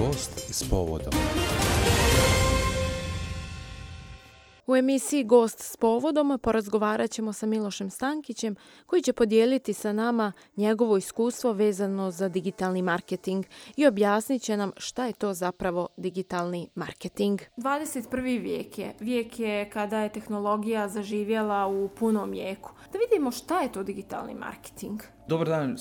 Gost s povodom. U emisiji Gost s povodom porazgovarat ćemo sa Milošem Stankićem koji će podijeliti sa nama njegovo iskustvo vezano za digitalni marketing i objasnit će nam šta je to zapravo digitalni marketing. 21. vijek je kada je tehnologija zaživjela u punom jeku. Da vidimo šta je to digitalni marketing. Dobar dan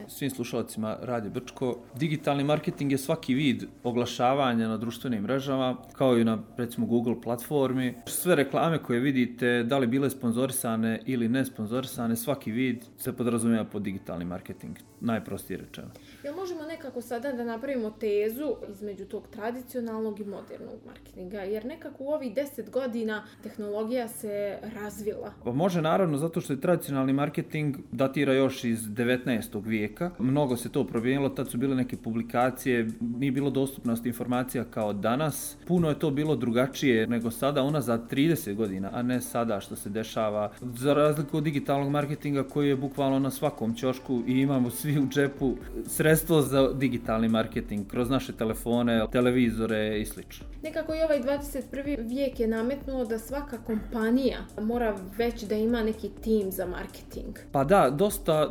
svim slušalcima Radio Brčko. Digitalni marketing je svaki vid oglašavanja na društvenim mrežama, kao i na recimo Google platformi. Sve reklame koje vidite, da li bile sponzorisane ili ne sponzorisane, svaki vid se podrazumijeva pod digitalni marketing, najprostije rečeno. Jel možemo nekako sada da napravimo tezu između tog tradicionalnog i modernog marketinga? Jer nekako u ovih 10 godina tehnologija se razvila. Pa može naravno, zato što je tradicionalni marketing datira još iz 19. vijeka. Mnogo se to promijenilo, tad su bile neke publikacije, nije bilo dostupnost informacija kao danas. Puno je to bilo drugačije nego sada, unazad 30 godina, a ne sada što se dešava. Za razliku od digitalnog marketinga koji je bukvalno na svakom ćošku i imamo svi u džepu sredstvo za digitalni marketing kroz naše telefone, televizore i sl. Nekako i ovaj 21. vijek je nametnuo da svaka kompanija mora već da ima neki tim za marketing. Pa da,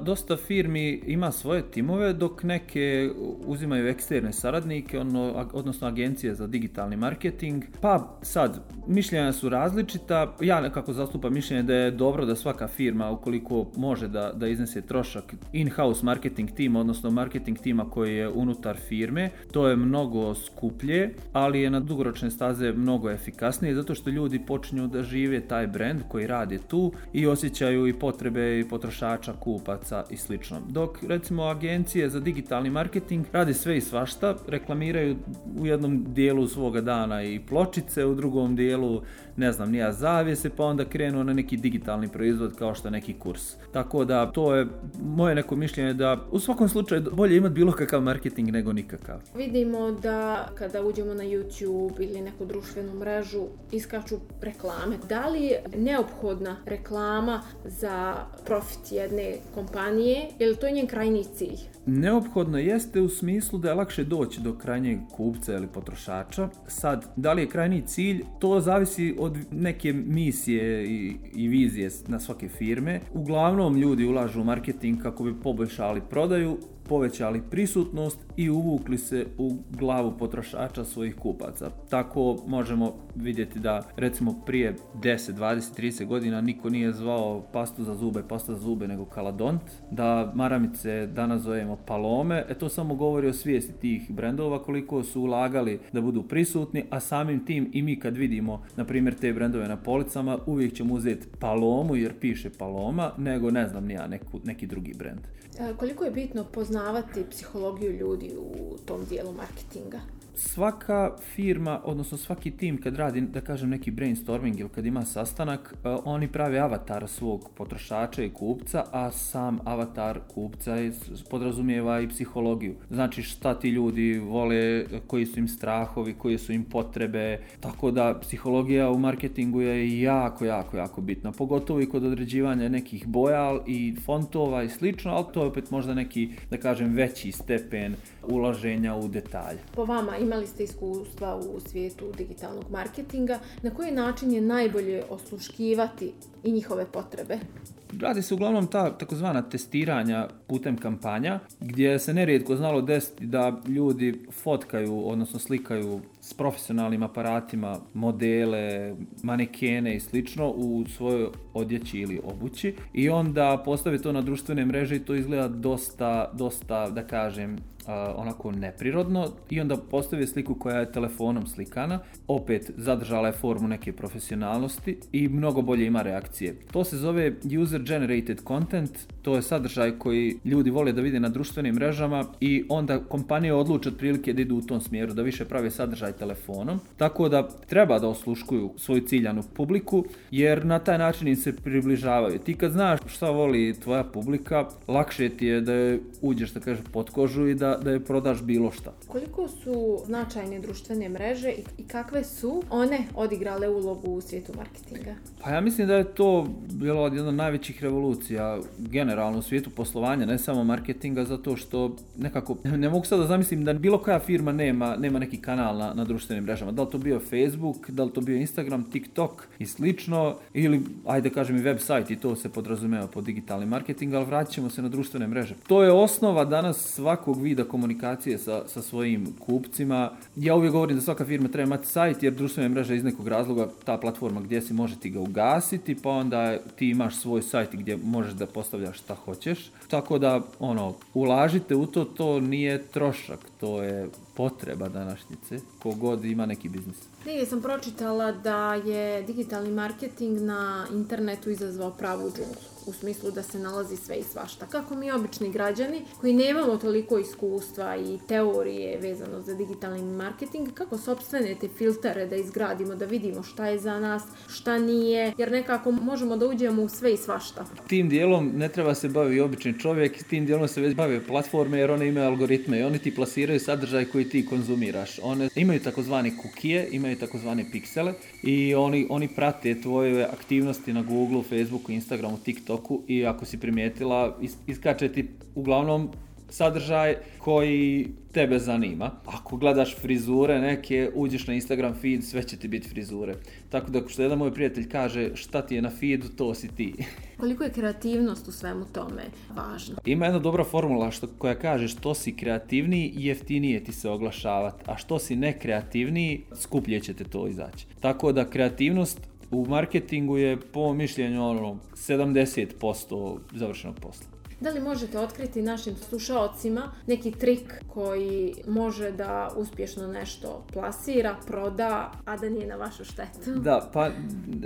dosta firmi ima svoje timove, dok neke uzimaju eksterne saradnike, odnosno agencije za digitalni marketing. Pa sad, mišljenja su različita. Ja nekako zastupam mišljenje da je dobro da svaka firma, ukoliko može da iznese trošak in-house marketing tima, odnosno marketing tima koji je unutar firme, to je mnogo skuplje, ali je na dugoročne staze mnogo efikasnije, zato što ljudi počinju da žive taj brand koji radi tu i osjećaju i potrebe i potrošača, kupaca i slično. Dok recimo agencije za digitalni marketing radi sve i svašta, reklamiraju u jednom dijelu svoga dana i pločice, u drugom dijelu zavjese, pa onda krenu na neki digitalni proizvod kao što je neki kurs. Tako da to je moje neko mišljenje da u svakom slučaju bolje imati bilo kakav marketing nego nikakav. Vidimo da kada uđemo na YouTube ili neku društvenu mrežu iskaču reklame. Da li je neophodna reklama za profit jedne kompanije ili to je njen krajnji cilj? Neophodno jeste u smislu da je lakše doći do krajnjeg kupca ili potrošača. Sad, da li je krajnji cilj, to zavisi od neke misije i vizije na svake firme. Uglavnom ljudi ulažu u marketing kako bi poboljšali prodaju, povećali prisutnost i uvukli se u glavu potrošača svojih kupaca. Tako možemo vidjeti da recimo prije 10, 20, 30 godina niko nije zvao pasta za zube nego Kaladont, da maramice danas zovemo Palome. To samo govori o svijesti tih brendova, koliko su ulagali da budu prisutni, a samim tim i mi kad vidimo na primjer te brendove na policama uvijek ćemo uzeti Palomu jer piše Paloma, nego neki drugi brend. Koliko je bitno poznavati psihologiju ljudi u tom dijelu marketinga? Svaka firma, odnosno svaki tim kad radi, da kažem, neki brainstorming ili kad ima sastanak, oni prave avatar svog potrošača i kupca, a sam avatar kupca podrazumijeva i psihologiju. Znači šta ti ljudi vole, koji su im strahovi, koje su im potrebe, tako da psihologija u marketingu je jako bitna, pogotovo i kod određivanja nekih boja i fontova i slično, ali to je opet možda neki, da kažem, veći stepen ulaženja u detalje. Po vama, imali ste iskustva u svijetu digitalnog marketinga, na koji način je najbolje osluškivati i njihove potrebe? Radi se uglavnom ta takozvana testiranja putem kampanja, gdje se nerijetko znalo desiti da ljudi fotkaju, odnosno slikaju s profesionalnim aparatima modele, manekene i slično u svojoj odjeći ili obući i onda postave to na društvene mreže i to izgleda dosta da kažem, onako neprirodno i onda postave sliku koja je telefonom slikana, opet zadržala je formu neke profesionalnosti i mnogo bolje ima reakcije. To se zove user generated content, to je sadržaj koji ljudi vole da vide na društvenim mrežama i onda kompanije odluče otprilike da idu u tom smjeru, da više prave sadržaj telefonom, tako da treba da osluškuju svoju ciljanu publiku, jer na taj način im se približavaju. Ti kad znaš šta voli tvoja publika, lakše ti je da je uđeš, da kažem, pod kožu i da je prodaš bilo šta. Koliko su značajne društvene mreže i kakve su one odigrale ulogu u svijetu marketinga? Pa ja mislim da je to bilo jedna od najvećih revolucija generalno u svijetu poslovanja, ne samo marketinga, zato što nekako ne mogu sad da zamislim da bilo koja firma nema neki kanal na društvenim mrežama. Da li to bio Facebook, da li to bio Instagram, TikTok i slično, ili ajde kažem i website, i to se podrazumeva pod digitalni marketing, ali vratit ćemo se na društvene mreže. To je osnova danas svakog vida komunikacije sa svojim kupcima. Ja uvijek govorim da svaka firma treba imati sajt, jer društvene mreže iz nekog razloga ta platforma gdje si može ti ga ugasiti, pa onda ti imaš svoj sajt gdje možeš da postavljaš šta hoćeš. Tako da, ulažite u to nije trošak, to je potreba današnjice, kogod ima neki biznis. Negdje sam pročitala da je digitalni marketing na internetu izazvao pravu džunglu, u smislu da se nalazi sve i svašta. Kako mi obični građani koji nemamo toliko iskustva i teorije vezano za digitalni marketing, kako sopstvene te filtere da izgradimo, da vidimo šta je za nas, šta nije, jer nekako možemo da uđemo u sve i svašta. Tim dijelom ne treba se bavi obični čovjek, tim dijelom se već bave platforme, jer one imaju algoritme i oni ti plasiraju sadržaj koji ti konzumiraš. One imaju takozvane kukije, imaju takozvane piksele i oni prate tvoje aktivnosti na Google, Facebooku, Instagramu, TikToku i ako si primijetila, iskače ti uglavnom sadržaj koji tebe zanima. Ako gledaš frizure neke, uđeš na Instagram feed, sve će ti biti frizure. Tako da što jedan moj prijatelj kaže šta ti je na feedu, to si ti. Koliko je kreativnost u svemu tome važna? Ima jedna dobra formula koja kaže što si kreativniji, jeftinije ti se oglašavati, a što si nekreativniji, skuplje će te to izaći. Tako da kreativnost u marketingu je po mišljenju 70% završenog posla. Da li možete otkriti našim slušaocima neki trik koji može da uspješno nešto plasira, proda, a da nije na vašu štetu? Da, pa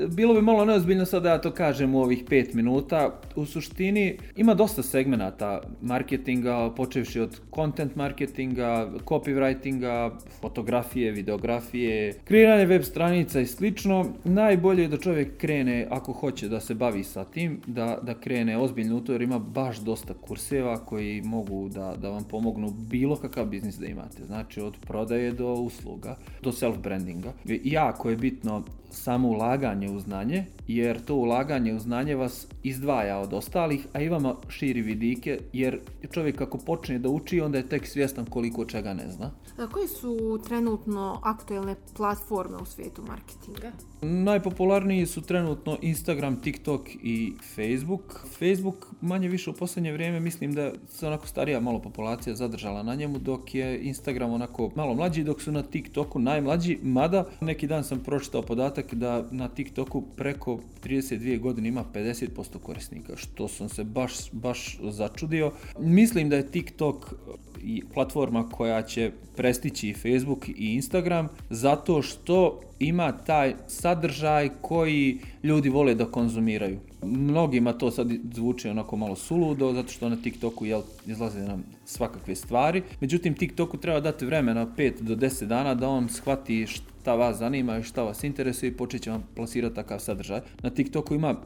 bilo bi malo neozbiljno sad da ja to kažem u ovih 5 minuta. U suštini ima dosta segmenata marketinga, počevši od content marketinga, copywritinga, fotografije, videografije, kreiranje web stranica i slično. Najbolje je da čovjek krene, ako hoće da se bavi sa tim, da krene ozbiljno u to, jer ima baš dosta kurseva koji mogu da vam pomognu bilo kakav biznis da imate. Znači od prodaje do usluga, do self-brandinga. Jako je bitno samo ulaganje u znanje, jer to ulaganje u znanje vas izdvaja od ostalih, a i vama širi vidike, jer čovjek ako počne da uči, onda je tek svjestan koliko čega ne zna. Koje su trenutno aktuelne platforme u svijetu marketinga? Najpopularniji su trenutno Instagram, TikTok i Facebook. Facebook manje više u posljednje vrijeme mislim da se onako starija malo populacija zadržala na njemu, dok je Instagram onako malo mlađi, dok su na TikToku najmlađi, mada neki dan sam pročitao podatak da na TikToku preko 32 godine ima 50% korisnika, što sam se baš začudio. Mislim da je TikTok i platforma koja će prestići i Facebook i Instagram, zato što ima taj sadržaj koji ljudi vole da konzumiraju. Mnogima to sad zvuči onako malo suludo, zato što na TikToku izlaze nam svakakve stvari. Međutim, TikToku treba dati vremena 5 do 10 dana da on shvati šta vas zanima i šta vas interesuje i počet će vam plasirati takav sadržaj. Na TikToku ima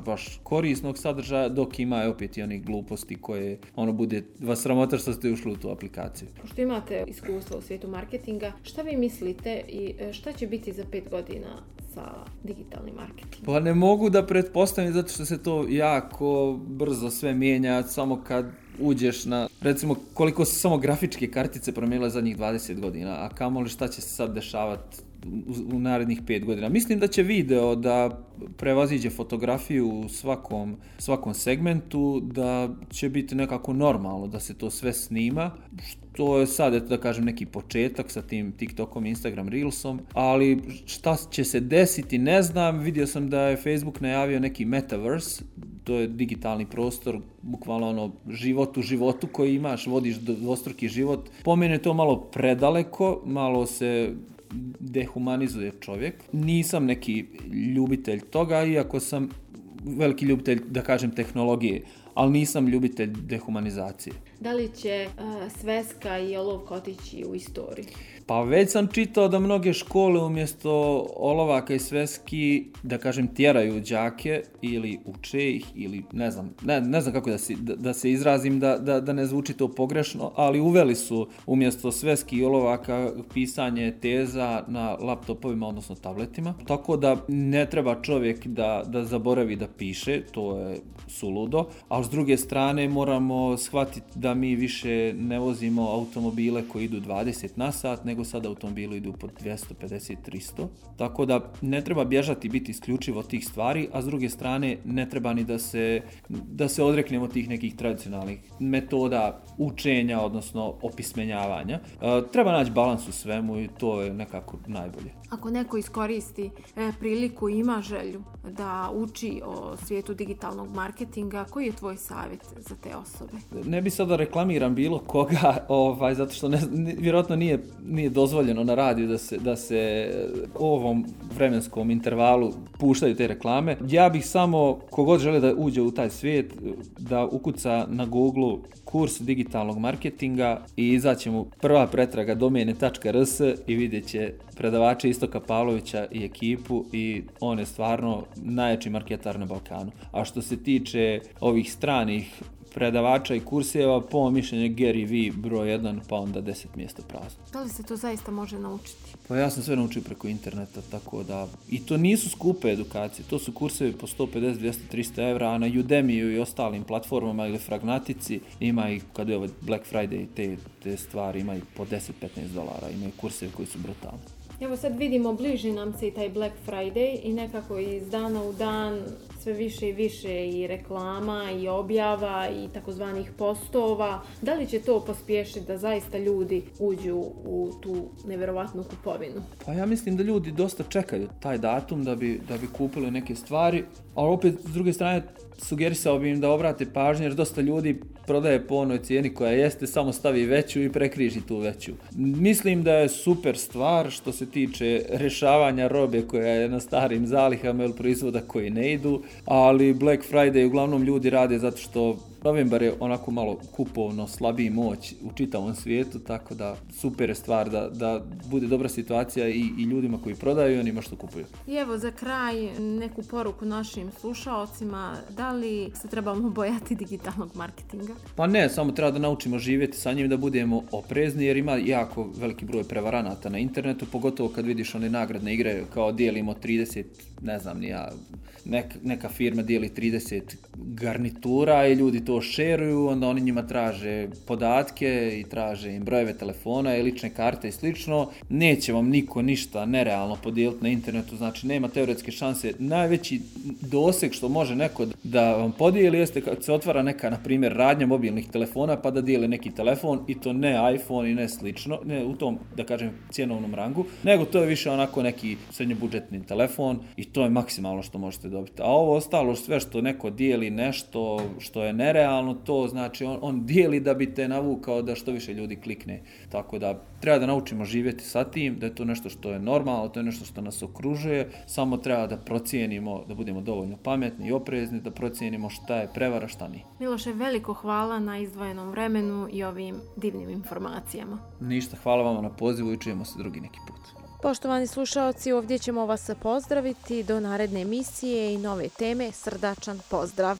baš korisnog sadržaja, dok ima opet i onih gluposti koje bude vas sramota što ste ušli u tu aplikaciju. Pošto imate iskustvo u svijetu marketinga, šta vi mislite i šta će biti za 5 godina sa digitalnim marketingom? Pa ne mogu da pretpostavim, zato što se to jako brzo sve mijenja, samo kad uđeš na, recimo, koliko su samo grafičke kartice promijenile zadnjih 20 godina, a kamoli šta će se sad dešavati u narednih 5 godina. Mislim da će video da prevaziđe fotografiju u svakom segmentu, da će biti nekako normalno da se to sve snima, što je sad, da kažem, neki početak sa tim TikTokom, Instagram Reelsom, ali šta će se desiti ne znam. Vidio sam da je Facebook najavio neki metaverse, to je digitalni prostor, bukvalno život u životu koji imaš, vodiš dvostruki život. Po meni je to malo predaleko, malo se dehumanizuje čovjek. Nisam neki ljubitelj toga, iako sam veliki ljubitelj, da kažem, tehnologije, ali nisam ljubitelj dehumanizacije. Da li će sveska i olovka otići u istoriju? Pa već sam čitao da mnoge škole umjesto olovaka i sveski, da kažem, tjeraju đake ili uče ih ili ne znam kako da se izrazim da ne zvuči to pogrešno, ali uveli su umjesto sveski i olovaka pisanje teza na laptopovima, odnosno tabletima. Tako da ne treba čovjek da zaboravi da piše, to je suludo, a s druge strane moramo shvatiti da mi više ne vozimo automobile koji idu 20 na sat, nego sad automobili idu po 250-300. Tako da ne treba bježati biti isključivo tih stvari, a s druge strane ne treba ni da se odreknemo tih nekih tradicionalnih metoda učenja, odnosno opismenjavanja. Treba naći balans u svemu i to je nekako najbolje. Ako neko iskoristi priliku i ima želju da uči o svijetu digitalnog marketinga, koji je tvoj savjet za te osobe? Ne bi sada reklamiram bilo koga, zato što vjerojatno nije dozvoljeno na radiju da se u ovom vremenskom intervalu puštaju te reklame. Ja bih samo, kogod želi da uđe u taj svijet, da ukuca na Google kurs digitalnog marketinga i izaće mu prva pretraga domene.rs i vidjet će predavača Istoka Pavlovića i ekipu i on je stvarno najjači marketar na Balkanu. A što se tiče ovih stranih predavača i kurseva, po mišljenju Gary V broj 1, pa onda 10 mjesta prazno. Da li se to zaista može naučiti? Pa ja sam sve naučio preko interneta, tako da... I to nisu skupe edukacije, to su kursevi po 150, 200, 300 evra, a na Udemiju i ostalim platformama ili Fragnatici ima i, kad je ovo Black Friday, te stvari ima i po 10-15 dolara, imaju kursevi koji su brutalni. Evo sad vidimo, bliži nam se i taj Black Friday i nekako iz dana u dan sve više i više i reklama i objava i takozvanih postova. Da li će to pospješiti da zaista ljudi uđu u tu nevjerovatnu kupovinu? Pa ja mislim da ljudi dosta čekaju taj datum da bi kupili neke stvari, ali opet s druge strane sugerisao bi im da obrate pažnju jer dosta ljudi prodaje po onoj cijeni koja jeste, samo stavi veću i prekriži tu veću. Mislim da je super stvar što se tiče rješavanja robe koja je na starim zalihama ili proizvoda koji ne idu, ali Black Friday uglavnom ljudi rade zato što novembar je onako malo kupovno slabiji moć u čitavom svijetu, tako da super je stvar da bude dobra situacija i ljudima koji prodaju i onima što kupuju. I evo za kraj neku poruku našim slušaocima, da li se trebamo bojati digitalnog marketinga? Pa ne, samo treba da naučimo živjeti sa njim, da budemo oprezni jer ima jako veliki broj prevaranata na internetu, pogotovo kad vidiš one nagradne igre kao dijelimo 30, ne znam ni ja, neka firma dijeli 30 garnitura i ljudi to šeruju, onda oni njima traže podatke i traže im brojeve telefona i lične karte i slično. Neće vam niko ništa nerealno podijeliti na internetu, znači nema teoretske šanse. Najveći doseg što može neko da vam podijeli jeste kad se otvara neka, na primjer, radnja mobilnih telefona pa da dijeli neki telefon i to ne iPhone i ne slično, ne u tom, da kažem, cjenovnom rangu, nego to je više onako neki srednjobudžetni telefon i to je maksimalno što možete dobiti. A ovo ostalo sve što neko dijeli nešto što je nerealno, to znači on dijeli da bi te navukao da što više ljudi klikne. Tako da treba da naučimo živjeti sa tim, da je to nešto što je normalno, to je nešto što nas okružuje, samo treba da procijenimo, da budemo dovoljno pametni i oprezni, da procijenimo šta je prevara, šta nije. Miloše, veliko hvala na izdvojenom vremenu i ovim divnim informacijama. Ništa, hvala vama na pozivu i čujemo se drugi neki put. Poštovani slušaoci, ovdje ćemo vas pozdraviti do naredne emisije i nove teme. Srdačan pozdrav!